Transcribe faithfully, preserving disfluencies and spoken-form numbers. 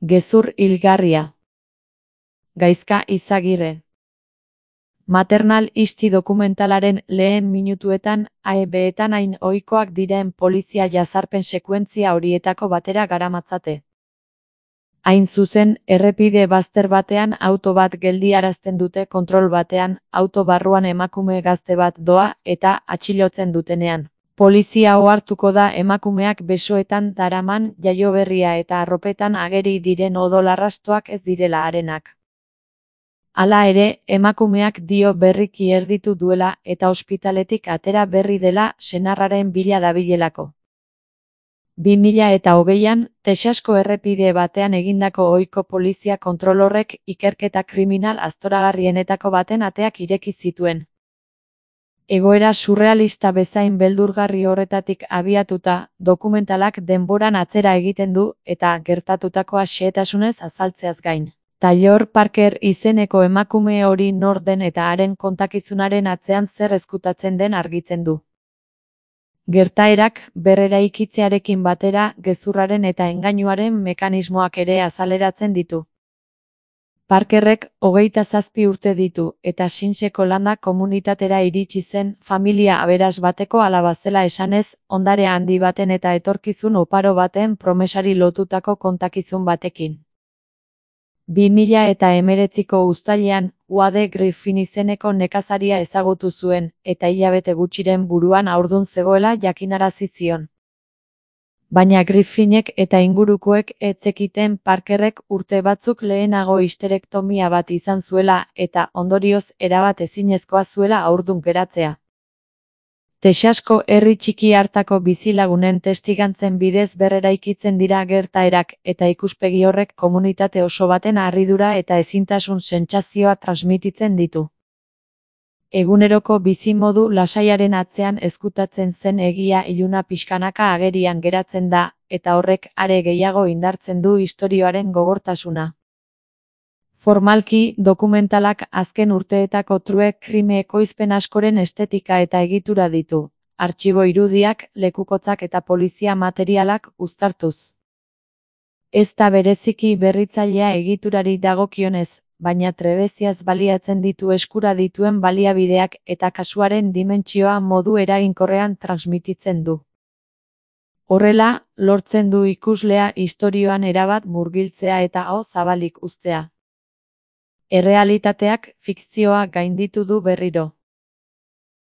Gezur hilgarria. Gaizka Izagirre. Maternal isti dokumentalaren lehen minutuetan A E B-etan hain ohikoak diren polizia jazarpen sekuentzia horietako batera garamatzate. Hain zuzen, errepide bazter batean auto bat geldiarazten dute kontrol batean, auto barruan emakume gazte bat doa eta atxilotzen dutenean. Polizia ohartuko da emakumeak besoetan daraman jaioberria eta arropetan ageri diren odol arrastoak ez direla harenak. Hala ere, emakumeak dio berriki erditu duela eta ospitaletik atera berri dela senarraren bila dabilelako. bi mila eta hogeian, Texasko errepide batean egindako ohiko polizia kontrol horrek ikerketa kriminal aztoragarrienetako baten ateak ireki zituen. Egoera surrealista bezain beldurgarri horretatik abiatuta, dokumentalak denboran atzera egiten du eta gertatutakoa xehetasunez azaltzeaz gain. Taylor Parker izeneko emakume hori nor den eta haren kontakizunaren atzean zer ezkutatzen den argitzen du. Gertaerak berreraikitzearekin batera gezurraren eta engainuaren mekanismoak ere azaleratzen ditu. Parkerrek hogeita zazpi urte ditu eta Sinseko landa komunitatera iritsi zen familia aberas bateko alaba zela esanez, ondare handi baten eta etorkizun oparo baten promesari lotutako kontakizun batekin. bi mila eta hemeretziko uztailean, Wade Griffin izeneko nekazaria ezagutu zuen, eta hilabete gutxiren buruan haurdun zegoela jakinarazi zion. Baina Griffinek eta ingurukoek ez zekiten Parkerrek urte batzuk lehenago histerektomia bat izan zuela eta ondorioz erabat ezinezkoa zuela haurdun geratzea. Texasko herri txiki hartako bizilagunen testigantzen bidez berreraikitzen dira gertaerak eta ikuspegi horrek komunitate oso baten harridura eta ezintasun sentsazioa transmititzen ditu. Eguneroko bizimodu lasaiaren atzean ezkutatzen zen egia iluna pixkanaka agerian geratzen da, eta horrek are gehiago indartzen du istorioaren gogortasuna. Formalki, dokumentalak azken urteetako true crime ekoizpen askoren estetika eta egitura ditu, artxibo irudiak, lekukotzak eta polizia materialak uztartuz. Ez da bereziki berritzailea egiturari dagokionez, baina trebeziaz baliatzen ditu eskura dituen baliabideak eta kasuaren dimentsioa modu eraginkorrean transmititzen du. Horrela, lortzen du ikuslea istorioan erabat murgiltzea eta aho zabalik uztea. Errealitateak fikzioa gainditu du berriro.